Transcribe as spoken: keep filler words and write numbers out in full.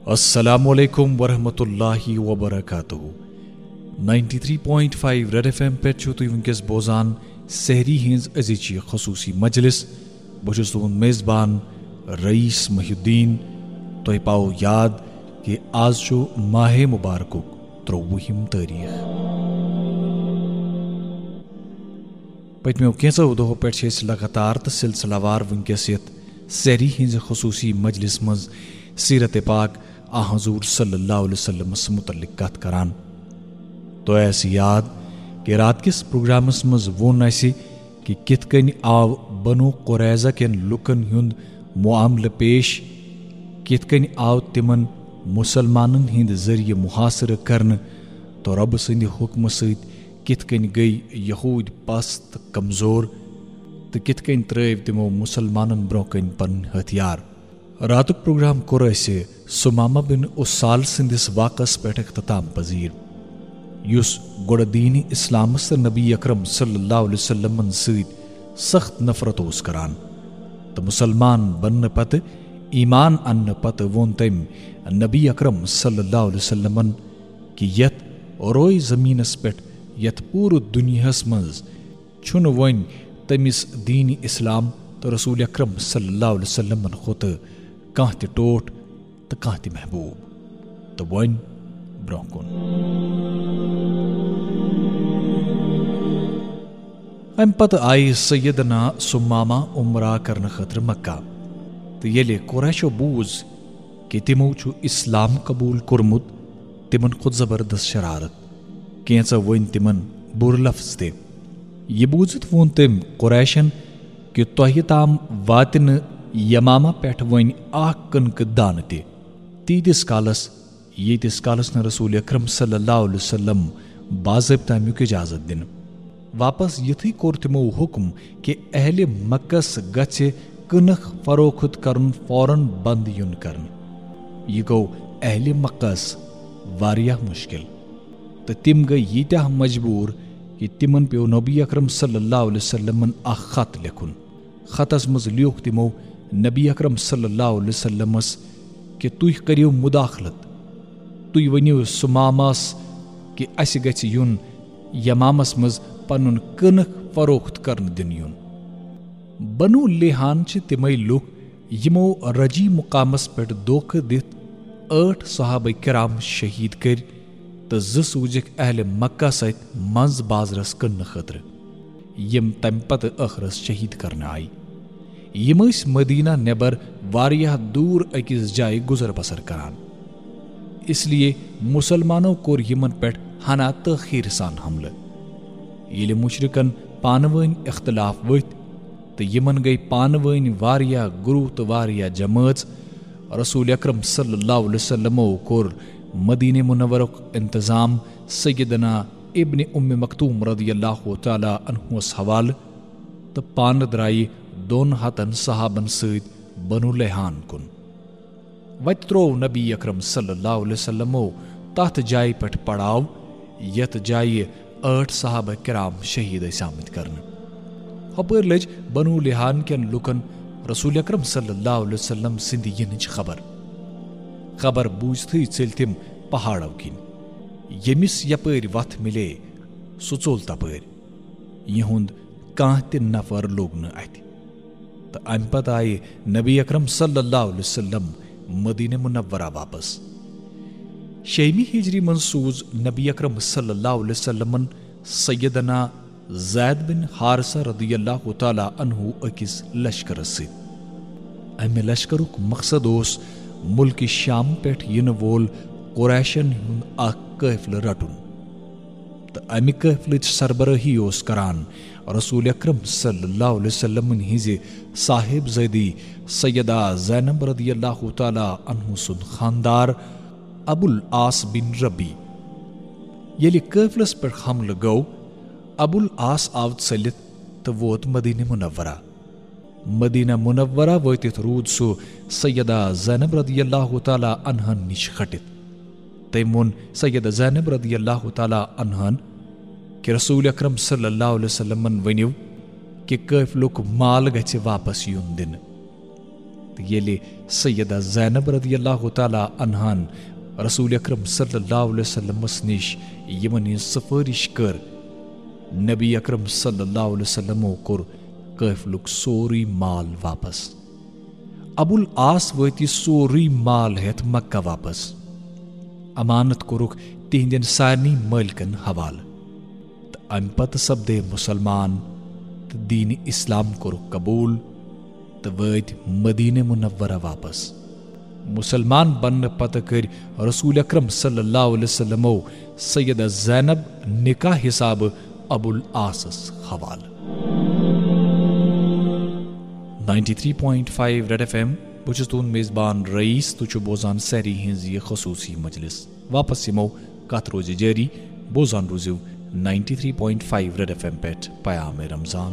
السلام علیکم ورحمۃ اللہ وبرکاتہ۔ Ninety three point five red F M پٮ۪ٹھ چھِو تُہۍ وٕنکیٚس بوزان سحری ہٕنٛز أزِچ یہِ خصوٗصی مجلس۔ بہٕ چھُس تُہُنٛد میزبان رئیس محی الدین۔ تۄہہِ پاوو یاد کہِ آز چھُ ماہِ مبارکُک ترٛۆوُہِم تٲریٖخ۔ پٔتمیو کینٛژو دۄہو پٮ۪ٹھ چھِ أسۍ لگاتار تہٕ سلسلہٕ وار وٕنکیٚس یَتھ سحری ہٕنٛزِ خصوٗصی مجلس منٛز سیرت پاک آ حضور صلی اللہ علیہ وسلمس متعلق کتھ کران۔ تۄہہِ آسہِ یاد کہِ رات کِس پروگرامس منٛز ووٚن اَسہِ کہِ کِتھ کٔنۍ آو بنو قریظہ کٮ۪ن لوٗکن ہُنٛد معاملہٕ پیش، کِتھ کٔنۍ آو تِمن مُسلمانن ہٕنٛدِ ذٔریعہٕ محاصرٕ کرنہٕ تہٕ رۄبہٕ سٕنٛدِ حُکمہٕ سۭتۍ کِتھ کٔنۍ گٔیۍ یہوٗدۍ پس تہٕ کمزور، تہٕ کِتھ کٔنۍ ترٲوۍ تِمو مُسلمانن برٛونٛہہ کَنۍ پنٕنۍ ہتھیار۔ راتُک پروگرام کوٚر اَسہِ ثمامہ بن اُسال سٕنٛدِس واقعس پٮ۪ٹھ اختتام پذیر، یُس گۄڈٕ دیٖنِ اسلامس تہٕ نبی اکرم صلی اللہ علیہ وسلمن سۭتۍ سخت نفرت اوس کران، تہٕ مُسلمان بننہٕ پتہٕ، ایمان اننہٕ پتہٕ ووٚن تٔمۍ نبی اکرم صلی اللہ علیہ وسلمن کہِ یتھ روئے زمینس پٮ۪ٹھ، یتھ پوٗرٕ دُنیاہس منٛز چھُنہٕ وۄنۍ تٔمِس دیٖنِ اسلام تہٕ رسول اکرم صلی اللہ علیہ وسلمن کھۄتہٕ کانٛہہ تہِ ٹوٹھ تہٕ کانٛہہ تہِ محبوب۔ تہٕ وۄنۍ برٛونٛہہ کُن۔ اَمہِ پتہٕ آیہِ سیدنا ثمامہ عمرہ کرنہٕ خٲطرٕ مکہ، تہٕ ییٚلہِ قریشو بوٗز کہِ تِمو چھُ اسلام قبول کوٚرمُت، تِمن کھوٚت زبردست شرارت۔ کینٛژو ؤنۍ تِمن بُرٕ لفظ تہِ۔ یہِ بوٗزِتھ ووٚن تٔمۍ قریشن کہِ تۄہہِ تام واتہِ نہٕ یمامہ پٮ۪ٹھ وۄنۍ اکھ کٕنکہٕ دانہٕ تہِ۔ تیٖتِس کالس، ییٖتِس کالس نہٕ رسول اکرم صلی اللہ علیہ وسلم باضٲبطہٕ امیُک اجازت دِنہٕ۔ واپس یِتھٕے کوٚر تِمو حُکم کہِ اہلِ مکس گژھِ کٕنٕک فروخت کرُن فوراً بند یُن کرنہٕ۔ یہِ گوٚو اہلِ مکس واریاہ مشکل، تہٕ تِم گٔیہِ ییٖتیٛاہ مجبوٗر کہِ تِمن پیوٚو نبی اکرم صلی اللہ علیہ وسلمن اکھ خط لیکھُن۔ خطس منٛز لیوٗکھ تِمو نبی اکرم صلی اللہ علیہ وسلمس کہِ تُہۍ کٔرِو مداخلت، تُہۍ ؤنِو ثمامس کہِ اسہِ گژھِ یُن یمامس منٛز پنُن کٕنٕک فروخت کرنہٕ دِنہٕ یُن۔ بنو لیحان چھِ تِمے لوٗکھ یِمو رجی مقامس پٮ۪ٹھ دھوکہٕ دِتھ ٲٹھ صحابہ کرام شہید کٔرۍ تہٕ زٕ سوٗزِکھ اہلِ مکہ سۭتۍ منٛز بازرس کٕننہٕ خٲطرٕ، یِم تمہِ پتہٕ ٲخرس شہید کرنہٕ آیہِ۔ یِم ٲسۍ مدینہ نٮ۪بر واریاہ دوٗر أکِس جایہِ گُزر بسر کران، اس لیے مُسلمانو کوٚر یِمن پٮ۪ٹھ ہنا تٲخیر سان حملہٕ۔ ییٚلہِ مُشرِکن پانہٕ وٲنۍ اختلاف ؤتھۍ تہٕ یِمن گٔیہِ پانہٕ وٲنۍ واریاہ گروہ تہٕ واریاہ جمٲژ، رسول اکرم صلی اللہ علیہ وسلمو کوٚر مدینہ منورُک انتظام سیدنا ابن ام مکتوم رضی اللہ تعالیٰ عنہس حوالہٕ تہٕ پانہٕ درٛایہِ دۄن ہتن صحابن سۭتۍ بنو لیحان کُن۔ وتہِ تروو نبی اکرم صلی اللہ علیہ وسلمو تتھ جایہِ پٮ۪ٹھ پڑاو، یتھ جایہِ ٲٹھ صحابہ کرام شہید ٲسۍ آمٕتۍ کرنہٕ۔ ہۄپٲرۍ لٔج بنو لیحان کٮ۪ن لوٗکن رسول اکرم صلی اللہ علیہ وسلم سٕنٛدِ یِنٕچ خبر۔ خبر بوٗزتھٕے ژٔلۍ تِم پہاڑو کِنۍ۔ ییٚمِس یپٲرۍ وتھ مِلے، سُہ ژوٚل تپٲرۍ۔ یِہُنٛد کانٛہہ تہِ نفر لوٚگ نہٕ اتھِ۔ تہٕ امہِ پتہٕ آیہِ نبی اکرم صلی اللہ علیہ وسلم مدینہ منورہ واپس۔ شیمی ہجری منٛز سوٗز نبی اکرم صلی اللہ علیہ وسلمن سیدنا زید بن حارثہ رضی اللہ تعالیٰ عنہ أکِس لشکرس سۭتۍ۔ امہِ لشکرُک مقصد اوس ملکہِ شام پٮ۪ٹھ یِنہٕ وول قریشن ہُنٛد اکھ قٲفلہٕ رٹُن۔ تہٕ امہِ قٲفلٕچ سربرٲہی اوس کران رسول اکرم صلی اللہ علیہ وسلمن ہٕنزِ صاحب زادی سیدہ زینب رضی اللہ تعالیٰ عنہ سُنٛد خاندار ابو العاص بن ربی۔ ییٚلہِ قٲفلس پٮ۪ٹھ حملہٕ گوٚو، ابو العاص آو ژٔلِتھ تہٕ ووت مدینہ منورہ۔ مدینہ منورہ وٲتِتھ روٗد سُہ سیدہ زینب رضی اللہ تعالیٰ عنہن نِش کھٹِتھ۔ تٔمۍ ووٚن سیدہ زینب رضی اللہ تعالیٰ عنہن کہِ رسول اکرم صلی اللہ علیہ وسلمن ؤنِو کہِ قٲفلُک مال گژھِ واپس یُن دِنہٕ۔ ییٚلہِ سیدہ زینب رضی اللہ تعالیٰ عنہن رسول اکرم صلی اللہ علیہ وسلمس نِش یِمن ہٕنٛز سفٲرِش کٔر، نبی اکرم صلی اللہ علیہ وسلمو کوٚر قٲفلُک سورُے مال واپس۔ ابو العاص وٲتۍ یہِ سورُے مال ہٮ۪تھ مکہ واپس۔ امانت کوٚرُکھ تِہنٛدٮ۪ن سارنٕے مٲلکن حوالہٕ۔ تہٕ امہِ پتہٕ سپدے مسلمان تہٕ دین اسلام کوٚرُکھ قبول تہٕ وٲتۍ مدینہ منورہ واپس۔ مسلمان بننہٕ پتہٕ کٔرۍ رسول اکرم صلی اللہ علیہ وسلمو سیدہ زینب نکاح حسابہٕ ابو العاصس حوالہٕ۔ Ninety three point five red F M, بہٕ چھُس تُہُنٛد میزبان رئیس، تُہۍ چھِو بوزان سحری ہٕنٛز یہِ خصوٗصی مجلس۔ واپس یِمو، کتھ روزِ جٲری، بوزان روٗزِو ninety three point five red F M پٮ۪ٹھ پیام رمضان۔